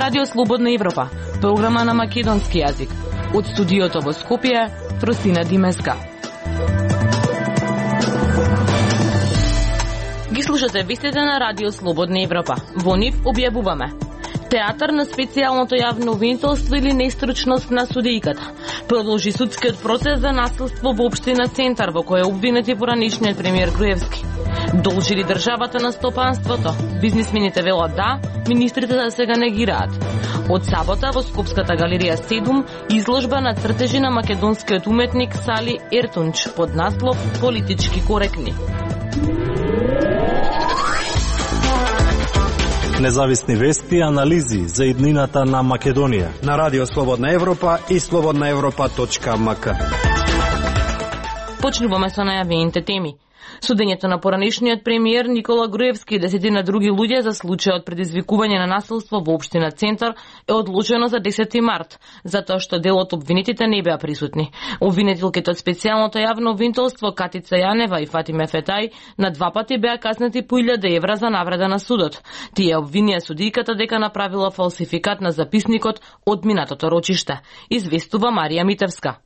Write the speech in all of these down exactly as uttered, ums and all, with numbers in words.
Радио Слободна Европа, програма на македонски јазик. Од студиото во Скопје, Фростина Димеска. Ги слушате вестите на Радио Слободна Европа. Во нив објавуваме: театар на специјалното јавно обвинителство или нестручност на судијката. Продолжи судскиот процес за насилство во општина Центар, во кој е обвинет и поранишниот премиер Груевски. Должи ли државата на стопанството? Бизнисмените велат да, министрите да сега негираат. Од сабота во Скопската галерија седум изложба на цртежи на македонскиот уметник Сали Ертунч под наслов "Политички коректни". Независни вести и анализи за иднината на Македонија на Радио Слободна Европа и слободна европа точка ем ка. Почнуваме со најавените теми. Судењето на поранишниот премиер Никола Груевски и десетина други луѓе за случајот предизвикување на насилство во општина Центар е одложено за десети март, затоа што дел од обвинетите не беа присутни. Обвинетилките од специјалното јавно обвинителство Катица Јанева и Фатиме Фетај на два пати беа казнети по илјада евра за навреда на судот. Тие обвинија судијката дека направила фалсификат на записникот од минатото рочиште, известува Марија Митевска.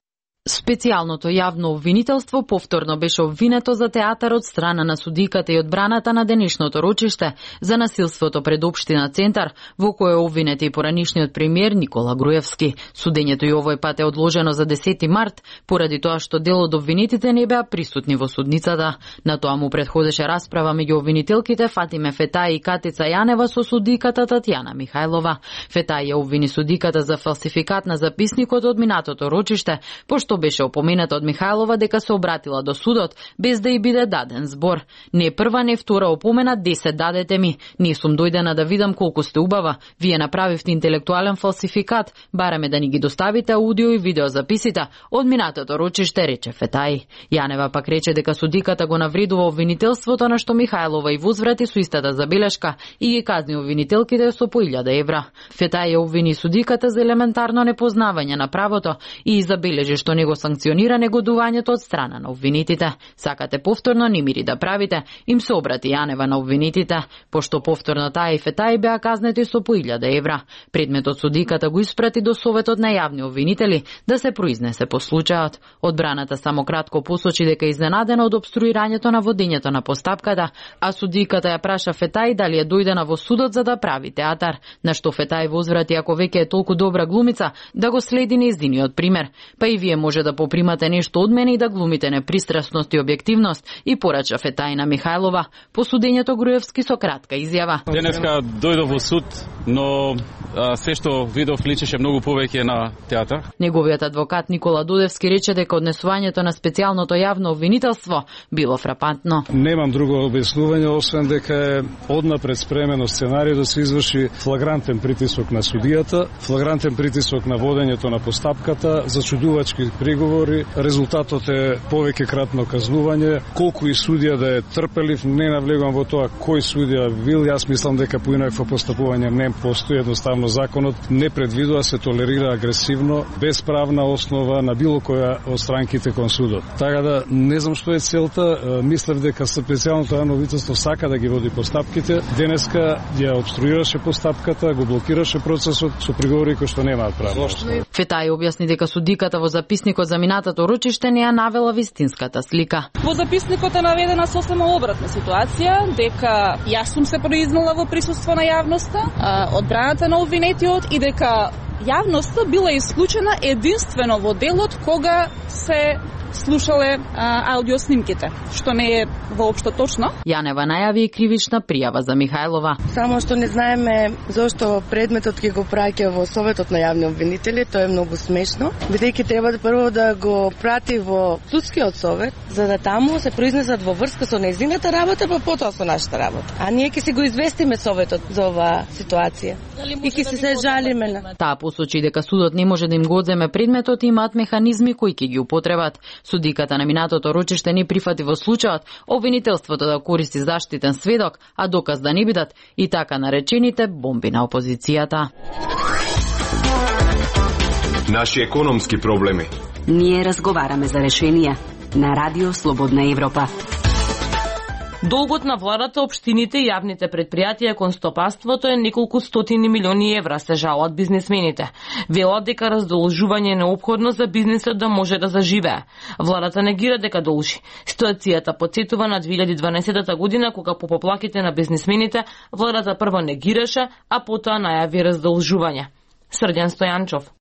Специјалното јавно обвинителство повторно беше обвинето за театар од страна на судиката и одбраната на денешното рочиште за насилството пред општина Центар, во кој е обвинет и поранишниот премиер Никола Груевски. Судењето и овој пат е одложено за десети март, поради тоа што дел од обвинетите не беа присутни во судницата. На тоа му предходеше расправа меѓу обвинителките Фатиме Фетај и Катица Јанева со судиката Татјана Михајлова. Фетај ја обвини судиката за фалсификат на записникот од минатото рочиште, пошто беше опомената од Михајлова дека се обратила до судот без да й биде даден збор. Не прва, не втора опомена, десет дадете ми. Не сум дојдена да видам колку сте убава. Вие направивте интелектуален фалсификат. Бараме да ни ги доставите аудио и видео записите од минатото рочиште, рече Фетај. Јанева пак рече дека судиката го навредува обвинителството, на што Михајлова и возврати со истата забелешка и ги казни обвинителките со по илјада евра. Фетај ја обвини судиката за елементарно непознавање на правото и забележи што не го санкционира негодувањето од страна на обвинетите. Сакате повторно немири да правите, им се обрати Јанева на обвинетите, пошто повторно таа и Фетај беа казнети со по илјада евра. Предметот судиката го испрати до Советот на јавни обвинители да се произнесе по случајот. Одбраната само кратко посочи дека е изненадена од обструирањето на водењето на постапката, а судиката ја праша Фетај дали е дојдена во судот за да прави театар, на што Фетај возврати ако веќе е толку добра глумица да го следи нејзиниот пример. Па и вие може да попримате нешто од мене и да глумите непристрасност и објективност, и порача Фетај на Михајлова. По судењето Груевски со кратка изјава. Денеска дојдов во суд, но а, се што видов личеше многу повеќе на театар. Неговиот адвокат Никола Дудевски рече дека однесувањето на специјалното јавно обвинителство било фрапантно. Немам друго објаснување освен дека е однапред спремено сценариј да се изврши флагрантен притисок на судијата, флагрантен притисок на водењето на постапката, зачудувачки приговори, резултатот е повеќе кратно казнување. Колку и судија да е трпелив, не навлегувам во тоа кој судија бил. Јас мислам дека поинакво постапување не постои, едноставно законот не предвидува се толерира агресивно, без правна основа на било која од странките кон судот. Така да не знам што е целта, мислев дека специјалното јавно обвинителство сака да ги води постапките. Денеска ја обструираше постапката, го блокираше процесот со приговори кои што немаат право. Фетај објасни дека судиката во записникот за минатото рочиште не ја навела вистинската слика. Во записникот е наведена сосема обратна ситуација, дека јас сум се произнела во присуство на јавноста, одбраната на обвинетиот, и дека јавноста била исклучена единствено во делот кога се слушале а, аудиоснимките, што не е воопшто точно. Јанева најави и кривична пријава за Михајлова. Само што не знаеме зошто предметот ќе го праќа во Советот на јавни обвинители, тоа е многу смешно, бидејќи треба да прво да го прати во судскиот совет, за да таму се произнесат во врска со нејзината работа, па потоа со нашата работа. А ние ќе си го известиме Советот за оваа ситуација и ќе се се жалиме на. Таа посочи дека судот не може да им го одземе предметот и имаат механизми кои ќе ги употребат. Судиката на минатото рочиште не прифати во случајот обвинителството да користи заштитен сведок, а доказ да не бидат и така наречените бомби на опозицијата. Наши економски проблеми. Ние разговараме за решенија на Радио Слободна Европа. Долгот на владата, општините и јавните предпријатија кон стопанството е неколку стотини милиони евра, се жалат бизнисмените. Велат дека раздолжување е неопходно за бизнисот да може да заживее. Владата негира дека должи. Ситуацијата потсетува на две илјади и дванаесетта година, кога по поплаките на бизнисмените владата прво негираше, а потоа најави раздолжување. Срдјан Стојанчов.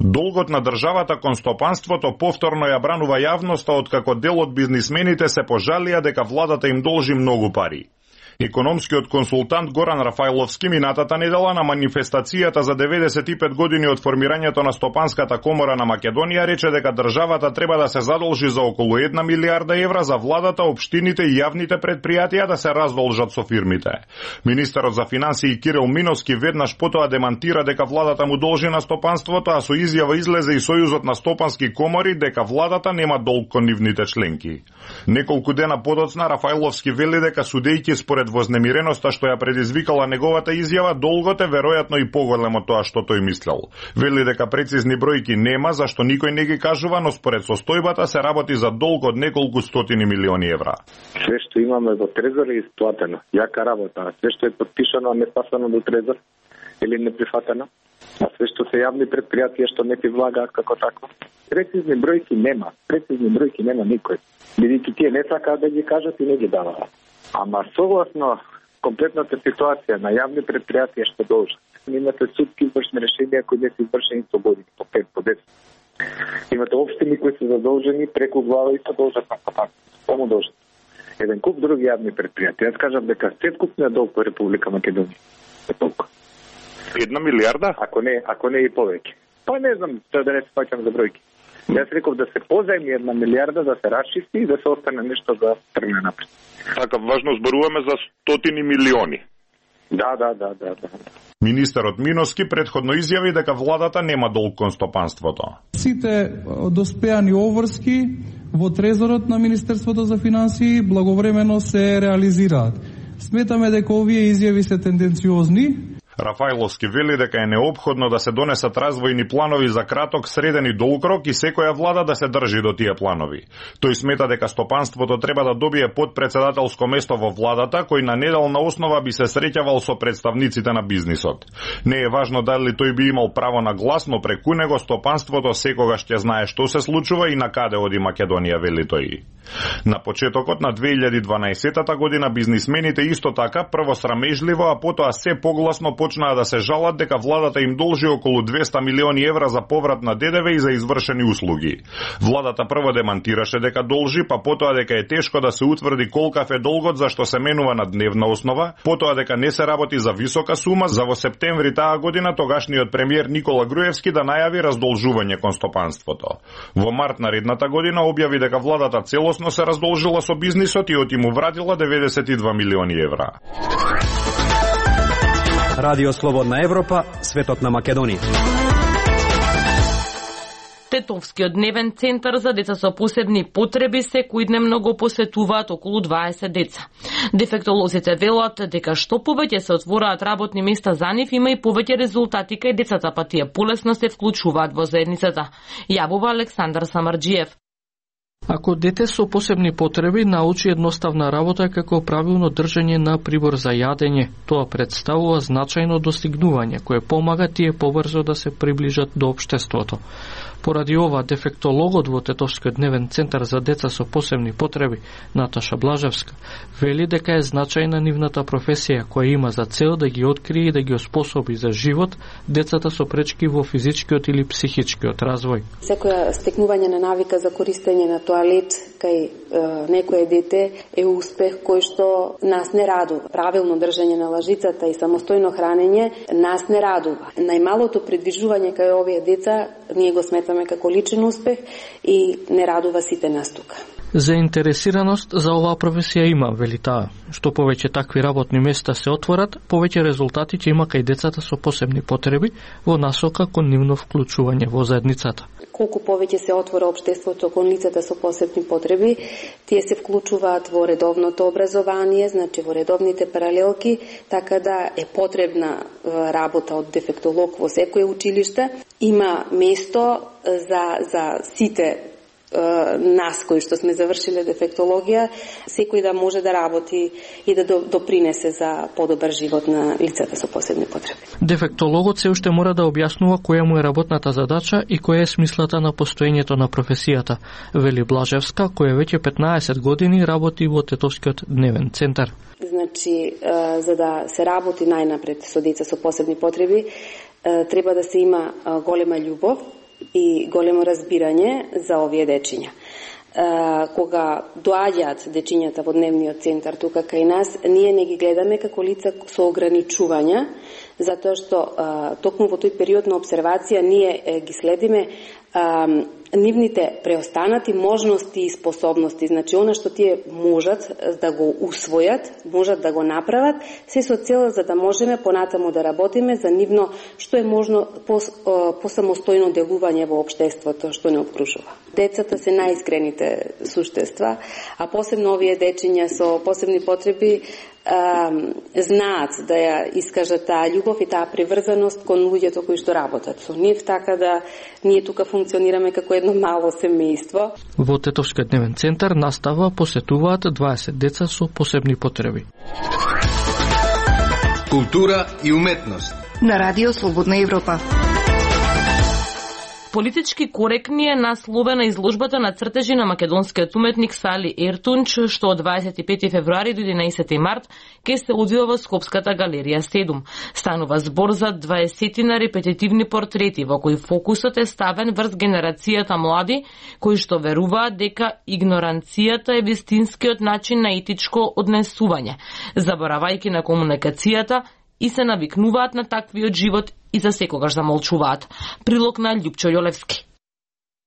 Долгот на државата кон стопанството повторно ја бранува јавноста, откако дел од бизнисмените се пожалија дека владата им должи многу пари. Економскиот консултант Горан Рафајловски минатата недела на манифестацијата за деветдесет и пет години од формирањето на Стопанската комора на Македонија рече дека државата треба да се задолжи за околу една милијарда евра за владата, општините и јавните предпријатија да се раздолжат со фирмите. Министерот за финансии Кирил Миновски веднаш потоа демантира дека владата му должи на стопанството, а со изјава излезе и Сојузот на стопански комори дека владата нема долг кон нивните членки. Неколку дена подоцна Рафајловски вели дека судејќи според вознемиреноста што ја предизвикала неговата изјава, долгот е веројатно и поголем од тоа што тој мислел. Вели дека прецизни бројки нема, зашто никој не ги кажува, но според состојбата се работи за долг од неколку стотини милиони евра. Све што имаме во Трезор е исплатено. Јака работа. Све што е подпишано, а не пасано до Трезор или не прифатено. А све што се јавни предпријатија што не ти влагаат како такво. Прецизни бројки нема. Прецизни бројки нема никој. Бидејќи тие не сакаат да ги кажат и не ги даваат. Ама согласно комплетната ситуација на јавни предпријатија што должат. Имате судски извршни решенија кои не се извршени со години, по пет, по десет. Имате општини кои се задолжени преку глава и се должат на патак. Само должат. Еден куп други јавни предпријатија. Јас кажам дека сеткупниот долг во Република Македонија е толку. Една милијарда? Ако не, ако не и повеќе. Па не знам, тоа да не се фаќам за бројки. Јас реков да се позајми една милијарда, да се расчисти и да се остане нешто за тргне напред. Така, важно зборуваме за стотини милиони. Да, да, да, да, да. Министерот Миновски претходно изјави дека владата нема долг кон стопанството. Сите доспеани обврски во трезорот на Министерството за финансии благовремено се реализираат. Сметаме дека овие изјави се тенденциозни. Рафајловски вели дека е неопходно да се донесат развојни планови за краток, среден и долг рок и секоја влада да се држи до тие планови. Тој смета дека стопанството треба да добие подпредседателско место во владата, кој на неделна основа би се среќавал со представниците на бизнисот. Не е важно дали тој би имал право на глас, но преку него стопанството секогаш ќе знае што се случува и на каде оди Македонија, вели тој. На почетокот на две илјади и дванаесетта година бизнисмените исто така прво срамежливо, а потоа се погласно почнаа да се жалат дека владата им должи околу двесте милиони евра за поврат на ДДВ и за извршени услуги. Владата прво демантираше дека должи, па потоа дека е тешко да се утврди колкав е долгот зашто се менува на дневна основа, потоа дека не се работи за висока сума, за во септември таа година тогашниот премиер Никола Груевски да најави раздолжување кон стопанството. Во март наредната година објави дека владата целосно се раздолжила со бизнисот и оти му вратила деветдесет и два милиони евра. Радио Слободна Европа, светот на Македонија. Тетовскиот дневен центар за деца со посебни потреби секојдневно го посетуваат околу дваесет деца. Дефектолозите велат дека што повеќе се отвораат работни места за нив, има и повеќе резултати кај децата, па тие полесно се вклучуваат во заедницата. Јавува Александар Самарџиев. Ако дете со посебни потреби научи едноставна работа како правилно држање на прибор за јадење, тоа представува значајно достигнување кое помага тие побрзо да се приближат до општеството. Поради ова, дефектологот во Тетовскиот дневен центар за деца со посебни потреби, Наташа Блажевска, вели дека е значајна нивната професија која има за цел да ги открие и да ги оспособи за живот децата со пречки во физичкиот или психичкиот развој. Секоја стекнување на навика за користење на тоалет кај е, некое дете е успех кој што нас не радува. Правилно држање на лажицата и самостојно хранење нас не радува. Најмалото придвижување кај овие деца ние го сметаме како личен успех и не радува сите нас тука. Заинтересираност за оваа професија има, вели таа. Што повеќе такви работни места се отворат, повеќе резултати ќе има кај децата со посебни потреби во насока кон нивно вклучување во заедницата. Колку повеќе се отвора општеството кон лицата со посебни потреби, тие се вклучуваат во редовното образование, значи во редовните паралелки, така да е потребна работа од дефектолог во секое училиште. Има место за, за сите нас кои што сме завршиле дефектологија, секој да може да работи и да допринесе за подобар живот на лицата со посебни потреби. Дефектологот се уште мора да објаснува која му е работната задача и која е смислата на постоењето на професијата, вели Блажевска, која веќе петнаесет години работи во Тетовскиот дневен центар. Значи, за да се работи најнапред со деца со посебни потреби, треба да се има голема љубов и големо разбирање за овие дечиња. Кога доаѓаат дечињата во дневниот центар тука кај нас, ние не ги гледаме како лица со ограничувања, затоа што токму во тој период на обсервација ние ги следиме нивните преостанати можности и способности, значи она што тие можат да го усвојат, можат да го направат, се со цел за да можеме понатаму да работиме за нивно што е можно по, по самостојно делување во општеството што не обкружува. Децата се најискрените суштества, а посебно овие дечиња со посебни потреби а, знаат да ја искажат таа љубов и таа приврзаност кон луѓето кои што работат со нив, така да ние тука функционираме како едно мало семејство. Во Тетовскиот дневен центар настава посетуваат дваесет деца со посебни потреби. Култура и уметност на Радио Слободна Европа. Политички коректни е насловена изложбата на цртежи на македонскиот уметник Сали Ертунч, што од дваесет и пети февруари до единаесети март ке се одвива во Скопската галерија седум. Станува збор за дваесетина репетитивни портрети во кои фокусот е ставен врз генерацијата млади кои што веруваат дека игноранцијата е вистинскиот начин на етичко однесување, заборавајќи на комуникацијата и се навикнуваат на таквиот живот и за секогаш замолчуваат. Прилог на Љупчо Јолевски.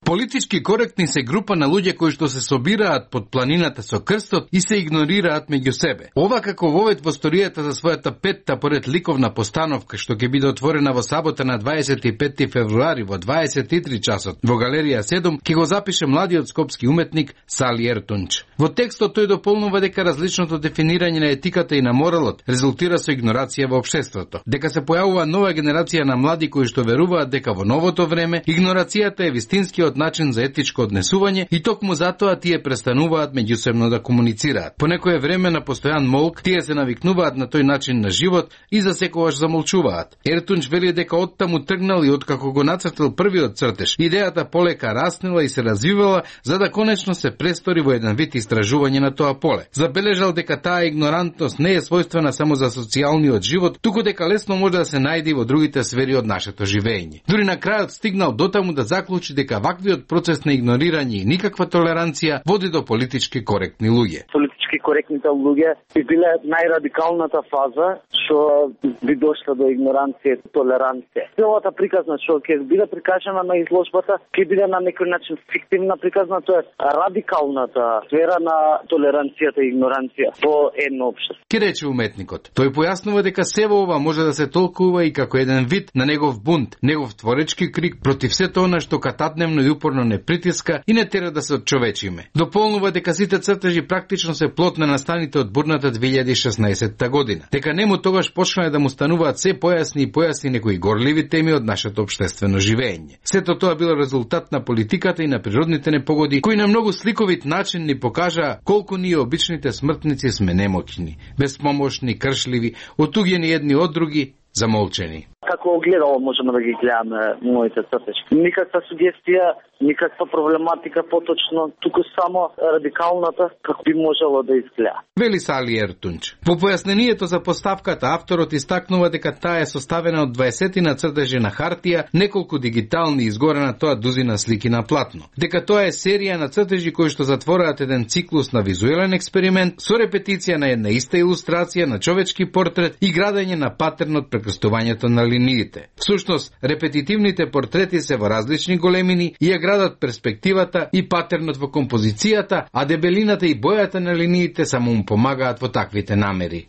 Политички коректни се група на луѓе кои што се собираат под планината со крстот и се игнорираат меѓу себе. Ова како вовед во сторијата за својата петта поред ликовна постановка што ќе биде отворена во сабота на дваесет и пети февруари во дваесет и три часот во галерија седум, ќе го запише младиот скопски уметник Сали Ертунч. Во текстот тој дополнува дека различното дефинирање на етиката и на моралот резултира со игнорација во општеството, дека се појавува нова генерација на млади кои што веруваат дека во новото време игнорацијата е вистинскиот начин за етичко однесување и токму затоа тие престануваат меѓусебно да комуницираат. По некое време на постојан молк тие се навикнуваат на тој начин на живот и за секогаш замолчуваат. Ертунч вели дека оттаму тргнал и откако го нацртал првиот цртеж, идејата полека раснела и се развивала за да конечно се престори во еден вид истражување на тоа поле. Забележал дека таа игнорантност не е својствена само за социјалниот живот, туку дека лесно може да се најде во другите сфери од нашето живење. Дури на крајот стигнал дотаму да заклучи дека ваквиот процес на игнорирање и никаква толеранција води до политички коректни луѓе. Политички коректните луѓе би биле најрадикалната фаза што би дошла до игноранција и толеранција. Целата приказна што ќе биде прикажана на изложбата ќе биде на некој начин фиктивна приказна, тоа е радикалната сфера на толеранцијата и игноранција во едно општество. Ке рече уметникот. Тој појаснува дека сево ова може да се толкува и како еден вид на негов бунт, негов творечки крик против сето она што кататневно и упорно не притиска и не тера да се отчовечиме. Дополнува дека сите цртежи практично се плод на настаните од бурната две илјади и шеснаесетта година. Дека нему тогаш почнале да му стануваат се појасни и појасни некои горливи теми од нашето општествено живење. Сето тоа било резултат на политиката и на природните непогоди, кои на многу сликовит начин ни покажаа колку ние обичните смртници сме немоќни, безпомошни, кршливи, отуѓени едни од други, замолчени. Како огледало можеме да ги гледаме моите цртежи. Никаква сугестија, никаква проблематика поточно, туку само радикалната како би можело да изгледа. Вели Сали Ертунч. Во појаснението за поставката авторот истакнува дека таа е составена од дваесетина цртежи на хартија, неколку дигитални изгорена тоа дузина слики на платно. Дека тоа е серија на цртежи кои што затвораат еден циклус на визуелен експеримент со репетиција на една иста илустрација на човечки портрет и градење на патернот прекрстувањето на линиите. Всушност, репетитивните портрети се во различни големини и ја градат перспективата и патернот во композицијата, а дебелината и бојата на линиите само му помагаат во таквите намери.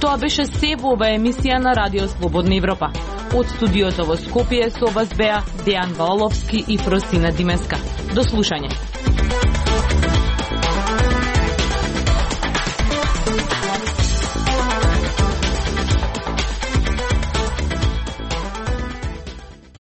Тоа беше се во ова емисија на Радио Слободна Европа. Од студиото во Скопје со вас беа Дејан Валовски и Фросина Димеска. До слушање.